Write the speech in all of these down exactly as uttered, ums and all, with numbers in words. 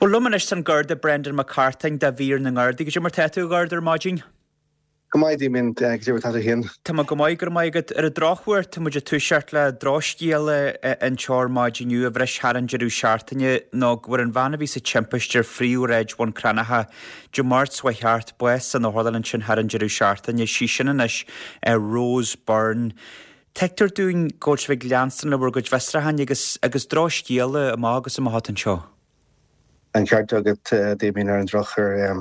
Bhuel liom anois an Garda Brendan Mac Cartáin de mhír na nGardaí, goidé mar tá tú a Gharda ar maidin. Go maith Damien goidé mar tá tú féin. Tá mé go maith go raibh maith agat ar an drochuair tá muid ag toiseacht le drochscéal anseo ar maidin inniu a bhris thar an deireadh seachtaine nó go bhfuair an bhean a bhí sa timpiste ar phríomhshráid Bhun Cranncha Dé Máirt seo thart bás san otharlann ansin thar an deireadh seachtaine sí sin anois ar Rose Byrne. Tuigtear dúinn go bhfuil sibh ag leanstan le bhur gcuid fiosrúcháin agus agus drochscéal amach agus amach anseo. An ceart agat Damien ar an drochuair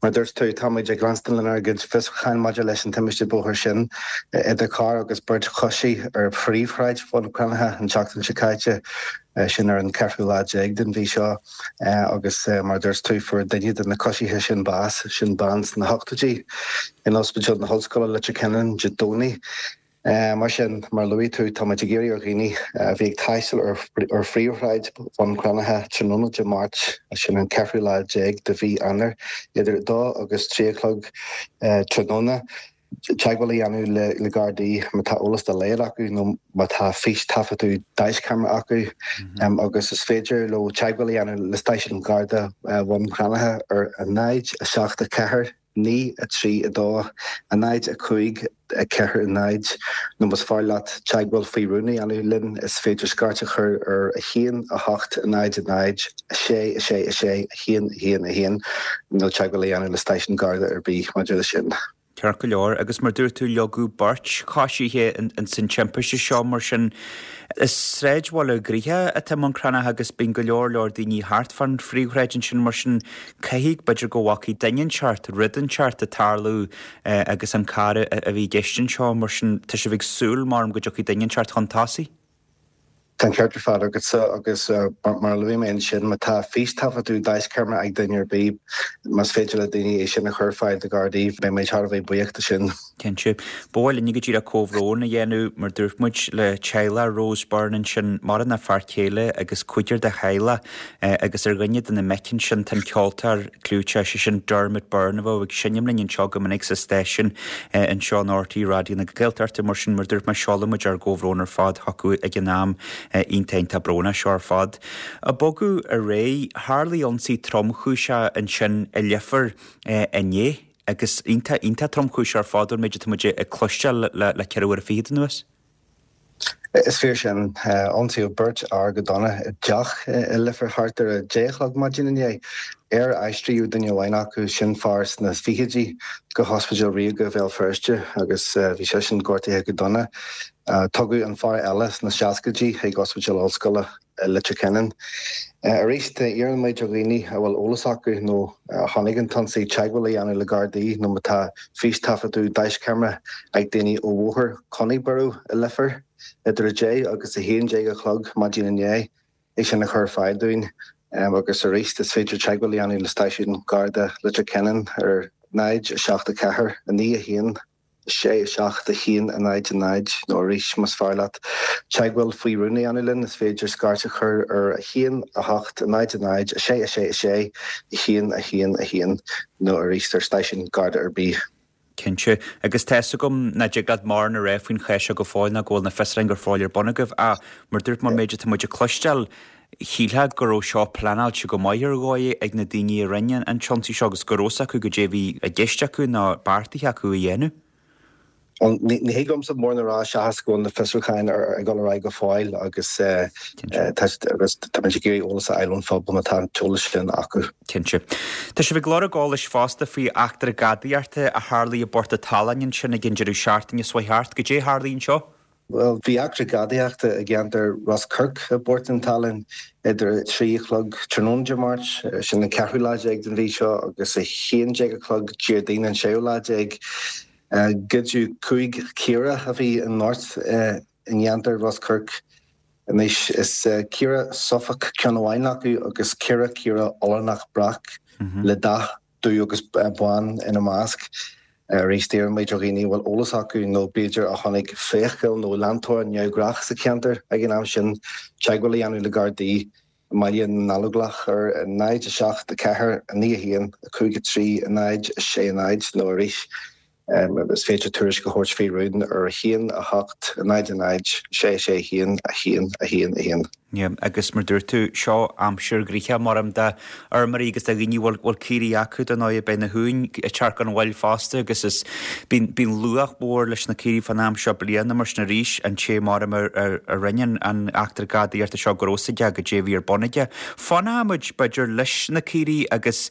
mar dúirt tú táimid ag leanstan lenár gcuid fiosrúcháin maidir leis an timpiste bóthair sin idir carr agus beirt choisí ar phríomhshráid Bhun Cranncha an tseachtain seo caite sin ar an ceathrú lá déag den mhí seo agus mar dúirt tú fuair duine de na coisithe sin bás sin bean sna hochtóidí in Ospidéal na hOllscoile Leitir Ceanainn Dé Domhnaigh. Uh, mar sin mar luaigh tú táimid ag iarraidh ar dhaoine a bhí ag taisteal ar ar phríomhshráid Bhun Cranncha tráthnóna Dé Máirt sin an ceathrú lá déag de mhí Eanáir idir dó agus trí a chlog uh, tráthnóna teagmháil a dhéanamh le, le Gardaí má tá eolas dá laghad acu nó má tá fístaifeadadh daisceamara acu mm -hmm. um, agus is féidir leo teagmháil a dhéanamh le stáisiún Garda uh, Bhun Cranncha ar a náid a seacht a ceathair naoi a trí a dó a náid a cúig a ceathair a náid nó más fearr leat teagmháil faoi rún a dhéanamh linn is féidir scairt a chur ar a haon a hocht a náid a náid a sé a sé a sé a haon a haon a haon nó teagmháil a dhéanamh le stáisiún Garda ar bith maidir le sin. Ceart go leor agus mar dúirt tú leagadh beirt choisithe in san timpiste seo mar sin is sráidbhaile gnoitheach atá i mBun Cranncha agus bíonn go leor leor daoine thart fan phríomhshráid ansin mar sin caithfidh b'fhéidir go bhfaca duine inteacht rud inteacht ag tarlú agus an carr a bhí i gceist anseo mar sin tá sibh ag súil mar go dtiocfaidh duine inteacht chun tosaigh. Tá ceart ar fad agat agus mar luaigh mé sin má tá fístaifeadadh daisceamara ag duine ar bith más féidir le daoine é sin a chur ar fáil do Gardaí beidh mé thar a bheith buíoch de sin. Cinnte. Ba mhaith linn go díreach comhbhrón a dhéanamh mar dúirt muid le teaghlach Rose Byrne ansin maireann a fear céile agus cúigear de theaghlach agus ar dhuine de na mic sin tá an ceoltóir clúiteach sé sin Dermot Byrne a bheadh ag seinm linn anseo go minic sa stáisiún anseo in RTÉ Raidió na Gaeltachta mar sin mar dúirt mé seolaimid ár gcomhbhrón ar fad chucu ag an am iontach brónach seo ar fad. Ag bogadh ar aghaidh tharla ionsaí tromchúiseach ansin i Leifear inné agus iontach iontach tromchúiseach ar fad an méid atá muid ag cloisteáil le le ceithre uair fichead anuas. Is fíor sin ionsaíodh beirt fhear go dona i dteach i Leifear thart ar a deich a chlog maidin inné. Ar aistríodh duine amháin acu sin fear sna fichidí go hOspidéal Ríoga Bhéal Feirste agus bhí sé sin gortaithe go dona. Tugadh an fear eile sna seascaidí chuig Ospidéal Ollscoile Leitir Ceanainn. Arís iarrann muid ar dhaoine a bhfuil eolas acu nó chonaic an t-ionsaí teagmháil a dhéanamh le Gardaí nó má tá fístaifeadadh daisceamara ag daoine ó Bhóthar Coneyburrow i Leifear idir a deich agus a haon déag a chlog maidin inné é sin a chur ar fáil dúinn agus arís is féidir teagmháil a dhéanamh le stáisiún Garda Leitir Ceanainn ar náid a seacht a ceathair a naoi a haon sé a seacht a haon a náid a náid nó arís más fearr leat teagmháil faoi rún a dhéanamh linn is féidir scairt a chur ar a haon a hocht a náid a náid a sé a sé a sé a haon a haon a haon nó arís ar stáisiún Garda ar bith. Cinnte agus tá a fhios agam nach dtig leat mórán a rá faoin chás seo go fóill ná go bhfuil na fiosrúcháin go fóill ar bun agaibh ach mar dúirt mé an méid atá muid ag cloisteáil shílfeá go raibh seo pleanáilte go maith ar dhóigh ag na daoine a rinne an tionsaí seo agus go raibh a fhios acu goidé a bhí i gceist acu nó beartaithe acu a dhéanamh. Ní thig liomsa mórán a rá seachas go bhfuil na fiosrúcháin ag dul ar aghaidh go fóill agus agus tá muid ag iarraidh eolas a fháil ón phobal má tá an t-eolas sin acu. Cinnte. Tá sibh ag lorg eolais fosta faoi eachtra gadaíochta a tharla i bPort an tSalainn ansin ag an deireadh seachtaine seo thart. Goidé a tharla anseo? Well, bhí eachtra gadaíochta i gceantar Ros Coirc i bPort an tSalainn idir trí a chlog tráthnóna Dé Máirt, sin an ceathrú lá déag den mhí seo agus a haon déag a chlog Déardaoin an séú lá déag. Goideadh cúig chaora a bhí in ngort i gceantar Ros Coirc anois is caora Suffolk ceann amháin acu agus ceithre chaora Ollannach breac le dath dubh agus bán ina measc. Arís iarrann muid ar dhaoine a bhfuil eolas acu nó b'fhéidir a chonaic fiacail nó leantóir neamhghnách sa cheantar ag an am sin teagmháil a dhéanamh le Gardaí i mBaile na nGallóglach ar náid a seacht a ceathair a naoi a haon a cúig a trí a náid a sé a náid nó arís is féidir tuairisc a thabhairt faoi rún ar a haon a hocht a náid a náid sé sé haon a haon a haon a haon. Yeah, agus mar dúirt tú seo aimsir ghnoitheach mar am do fheirmeoirí agus do dhaoine bhfuil bhfuil caoirigh acu dar ndóigh beidh na huain ag teacht gan mhoill fosta agus is bíonn bíonn luach mór leis na caoirigh fán am seo bliana mar sin arís an té mar a a rinne an eachtra gadaíochta seo go raibh a fhios aige goidé a bhí ar bun aige. Fanfaidh muid b'fhéidir leis na caoirigh agus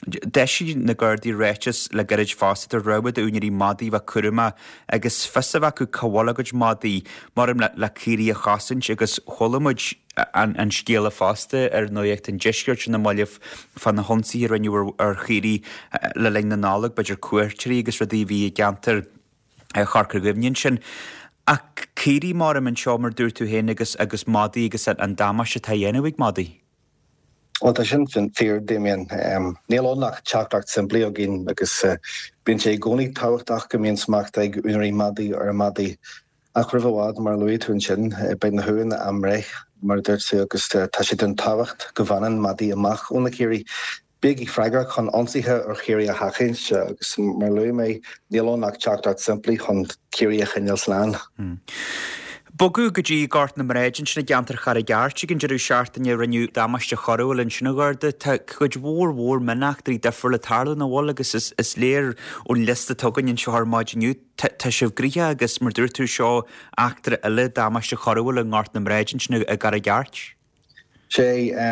d'eisigh na Gardaí ráiteas le gairid fosta de rabhadh d'úinéirí madaí bheith cúramach agus fios a bheith acu cá bhfuil a gcuid madaí mar le le caoirigh a chosaint agus chuala muid an, an scéala fosta ar Nuacht an Deiscirt sin i mbaile fá na hionsaithe a rinneadh ar chaoirigh le linn na Nollag, b'fhéidir cuairteoirí agus rudaí a bhí i gceantar Chorca Dhuibhne ansin. Ach caoirigh mar anseo mar dúirt tú féin agus agus madaí agus an damáiste atá á dhéanamh ag madaí. Well tá sin fíor Damien. Um, níl ann ach teachtaireacht simplí againn agus uh, bíonn sé i gcónaí tábhachtach go mbíonn smacht ag úinéirí madaí ar a madaí. Ach roimh i bhfad mar luaigh tú ansin beidh na huain á mbreith mar dúirt tú agus tá sé den tábhacht go bhfanann madaí amach ó na caoirigh. Bígí freagrach chun ionsaithe ar chaoirigh a sheachaint agus mar luaigh mé níl ann ach teachtaireacht simplí chun caoirigh a choinneáil slán. Hmm. Bogadh go dtí Gort na mBrád ansin i gceantar Charraig Airt ag an deireadh seachtaine rinneadh damáiste choiriúil ansin a Gharda. Tá cuid mhór mhór mioneachtraí difriúla ag tarlú nach bhfuil agus is, is léir ón liosta atá againn anseo ar maidin inniu tá sibh gnoitheach agus mar dúirt tú seo eachtra eile damáiste choiriúil i nGort na mBrád ansin i gCarraig Airt. Sé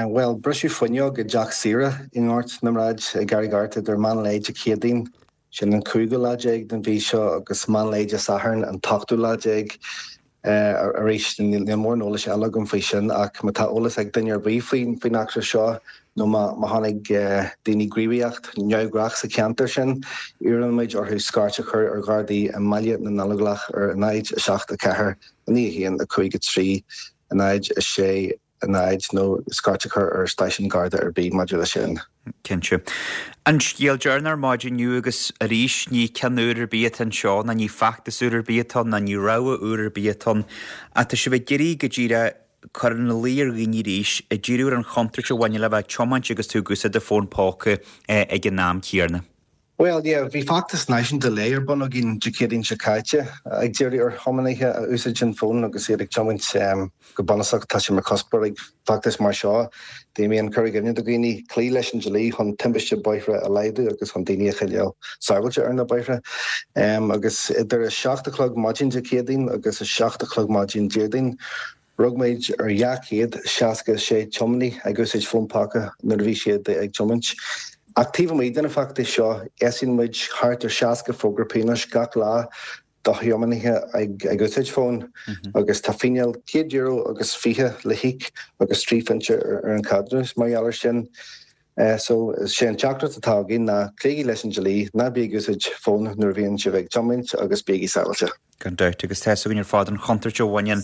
well briseadh fuinneog i dteach saoire i nGort na mBrád i gCarraig Airt idir meán lae Dé Céadaoin sin an cúigiú lá déag den mhí seo agus meán lae Dé Sathairn an t-ochtú lá déag. arís níl mórán eolais eile agam faoi sin ach má tá eolas ag duine ar bith faoin faoin eachtra seo nó má má tháinig daoine gníomhaíocht neamhghnách sa cheantar sin, iarrann muid orthu scairt a chur ar Ghardaí i mBaile na nGallóglach ar náid a seacht a ceathair a naoi a haon a cúig a trí a náid a sé a náid nó scairt a chur ar stáisiún Garda ar bith maidir leis sin. Cinnte. An scéal deireanach ar maidin inniu agus arís ní ceann úr ar bith atá anseo ná ní feachtas úr ar bith atá ann ná ní rabhadh úr ar bith atá ann ach tá sibh ag iarraidh go díreach cur ina luí ar dhaoine arís ag díriú ar an chontúirt a bhaineann le bheith ag tiomáint agus tú ag úsáid do fón póca ag an am céanna. Well yeah, bhí feachtas náisiúnta lae ar bun againn Dé Céadaoin seo caite ag díriú ar thiománaithe a úsáideann fón agus iad ag tiomáint um, go bunúsach tá sé mar chuspóir ag feachtas mar seo. Damien cur i gcuimhne do dhaoine cloí leis an dlí chun timpiste bóithre a laghdú agus chun daoine a choinneáil sábháilte ar na bóithre. Um, agus idir a seacht a chlog maidin Dé Céadaoin agus a seacht a chlog maidin Déardaoin, Rug muid ar dhá chéad seasca sé tiománaí ag úsáid fón póca nuair a bhí siad ag tiomáint. Ach taobh amuigh den fheachtas seo eisíonn muid thart ar seasca fógra pionóis gach lá do thiománaithe ag ag úsáid fón agus tá fíneáil céad euro agus fiche le híoc agus trí phointe ar, ar an gceadúnas mar gheall air sin. Uh, so sé an teachtaireacht atá againn ná cloígí leis an dlí ná bí ag úsáid fón nuair a bhíonn sibh ag tiomáint agus bígí sábháilte. Gan dabht agus tá a fhios againn ar fad an chontúirt a bhaineann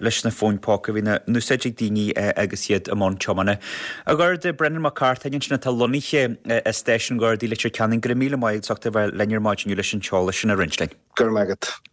leis na fóin póca a bhíonn á n-úsáid ag daoine agus iad i mbun tiomána. A Gharda Brendan Mac Cartáin ansin atá lonnaithe i Stáisiún Gardaí Leitir Ceanainn, go raibh míle maith agat as ucht a bheith linn ar maidin inniu leis an t-eolas sin a roinnt linn. Go raibh maith agat.